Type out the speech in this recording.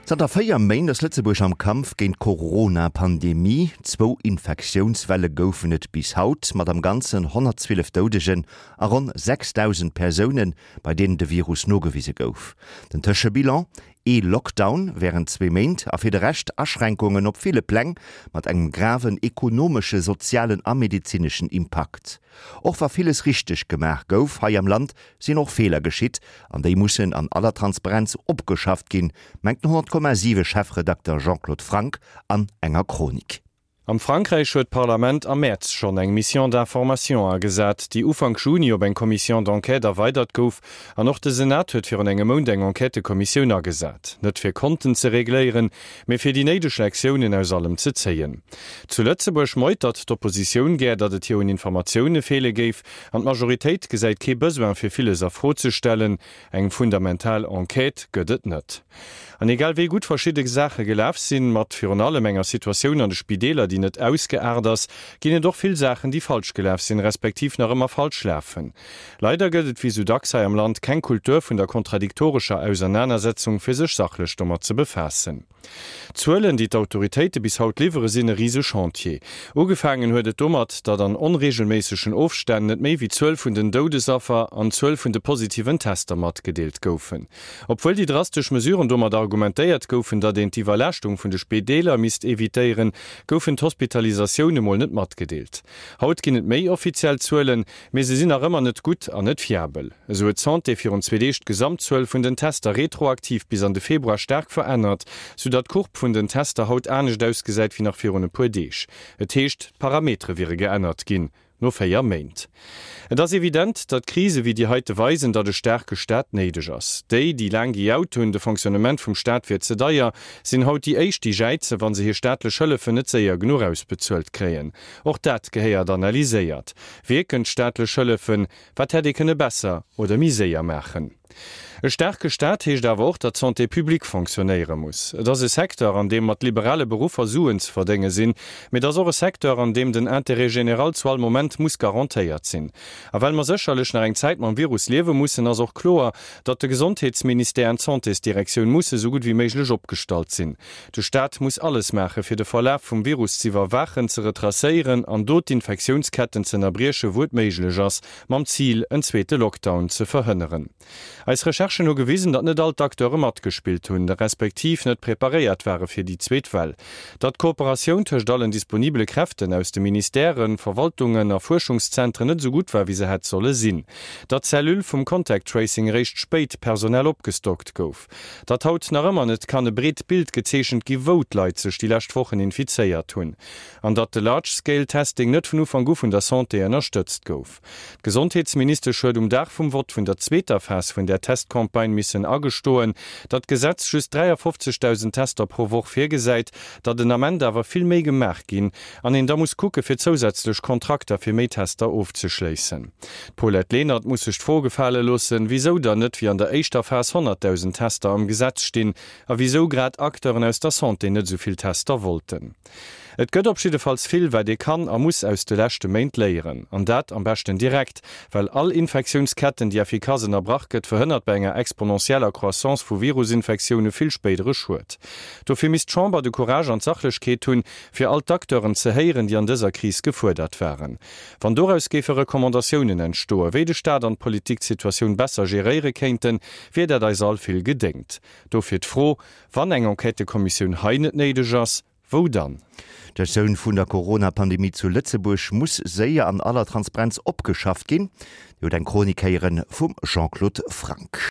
Zanter 4 Méint ass Lëtzebuerg am Kampf géint d'Corona-Pandemie. Zwou Infektiounswelle goufen et bis haut, mat am Ganzen 112 Doudegen a ronn 6.000 Persounen, bei deenen de Virus nogewise gouf. Den Tëschebilan, Ee Lockdown wärend zwee Méint a fir de Rescht Aschränkungen op ville Pläng, mat engem graven ekonomesche, sozialen a medezineschen Impakt. Och wa villes richteg gemaach gouf hei am Land, sinn och Feeler geschitt an déi mussen an aller Transparenz opgeschafft ginn, mengt den 100,7 Chefredakter Jean-Claude Franck an enger Chronik. Am Frankräich huet d'Parlament am Mäerz schonn eng Mission d'information agesat, déi Ufank Juni op eng Commission d'enquête erweidert gouf. An och de Senat huet virun engem Mount eng Enquêtëkommissioun agesat. Net fir Konten ze regléieren, mee fir déi néideg Lektiounen aus allem ze zéien. Zu Lëtzebuerg meutert d'Oppositioun gär, datt et hir un Informatioune feele géif, an d'Majoritéit gesäit kee Besoin fir villes a Fro ze stellen. Eng fundamental Enquête gëtt et net. An egal wéi gutt verschidde Saache gelaf sinn, mat virun allem enger Situatioun an de Spideeler, déi net ausgeaart ass, ginn et och vill Saachen, déi falsch gelaf sinn, respektiv nach ëmmer falsch lafen. Leider gëtt et wéi sou dacks hei am Land keng Kultur vun der kontradiktorescher Ausernanersetzung, fir sech sachlech domat ze befaassen. D'Zuelen, déi d'Autoritéite bis haut liwwere sinn e rise Chantier. Ugefaangen huet et domat, datt an onreegelméissegen Ofstänn net méi wéi d'Zuel vun den Doudesaffer an d'Zuel vun de positiven Tester matgedeelt goufen. Obwuel déi drastesch Mesuren domat argumentéiert goufen, datt een d'Iwwerlaaschtung vun de Spideeler misst evitéieren, goufen d'Hospitalisatioune mol net matgedeelt. Haut ginn et méi offiziell Zuelen, Mee se sinn nach ëmmer net gutt an net fiabel. Esou huet d'Santé virun zwee Deeg d'Gesamtzuel vun den Tester retroaktiv bis an de Februar staark verännert, soudatt d'Courbe vun den Tester haut anescht ausgesäit wéi nach virun e puer Deeg. Et heescht, d'Parametere wiere geännert ginn no 4 Méint. Et ass evident, datt Krise wéi déi heite weisen, datt e staarke Staat néideg ass. Déi, déi laang gejaut hunn, de Fonctionnement vum Staat wier ze deier, sinn haut déi éischt, déi jäizen, wa se hir staatlech Hëllefen net séier genuch ausbezuelt kréien. Och dat gehéiert analyséiert. Wierken d'staatlech Hëllefen? Wat hätt ee kënne besser oder méi séier maachen? E staarke Staat heescht awer och, datt d'Santé publique fonctionnéiere muss. Et ass e Secteur, an deem mat liberale Beruffer Suen ze verdénge sinn, mee et ass och e Secteur, an deem den Intérêt général zu all Moment muss garantéiert sinn. A well mer sécherlech nach eng Zäit mam Virus liewe mussen, ass och kloer, datt de Gesondheetsministère an d'Santésdirektioun musse sou gutt wéi méiglech opgestallt sinn. De Staat muss alles maache fir de Verlaf vum Virus z'iwwerwaachen, ze retracéieren an do d'Infektiounsketten z'ënnerbrieche wou et méiglech ass, mam Zil en zweete Lockdown ze verhënneren. Eis Recherchen hu gewisen, datt net all d'Acteure matgespillt hunn, respektiv net preparéiert ware fir déi zweet Well. Datt d'Kooperatioun tëscht allen disponibele Kräften aus de Ministèren, Verwaltungen a Fuerschungszentren net esou gutt war wéi se hätt solle sinn. Datt d'Cellule vum Contact Tracing eréischt spéit personell opgestockt gouf. Datt haut nach ëmmer net kann e breet Bild gezeechent gi wou d'Leit sech déi lescht Wochen infizéiert hunn. An datt de Large Scale Testing net vun Ufank u vun der Santé ënnerstëtzt gouf. D'Gesondheetsministesch huet um Dag vum Vott vun der zweeter Phas vun där Testcampagne missen agestoen, datt d'Gesetz just 53.000 Tester pro Woch virgesäit, datt den Ament awer vill méi gemaach ginn an een da muss kucke fir zousätzlech Kontrakter fir méi Tester ofzeschléissen. D'Paulette Lenert muss sech d'Fro gefale loossen, wisou dann net wéi an der éischter Phas 100.000 Tester am Gesetz stinn a wisou grad Acteuren aus der Santé net esou vill Tester wollten. Et gëtt op jiddefalls vill, wat ee kann a muss aus de leschte Méint léieren. An dat am beschten direkt, well all Infektiounsketten, déi effikass ënnerbrach gëtt, verhënnert bei enger exponentieller Croissance vu Virusinfektioune vill spéidere Schued. Dofir misst d'Chamber de Courage an d'Sachlechkeet hunn, fir all d'Acteuren ze héieren, déi an dëser Kris gefuerdert waren. Wann doraus géife Recommandatiounen entstoen, wéi de Staat an d'Politik d'Situatioun besser geréiere kéinten, wier dat eis all vill gedéngt. Dofir d'Fro, Wann eng Enquêtëkommissioun hei net néideg ass, wou dann? D'Gestioun vun der Corona-Pandemie zu Lëtzebuerg muss séier an aller Transparenz opgeschafft ginn. Dir hutt eng Chronik héiere vum Jean-Claude Franck.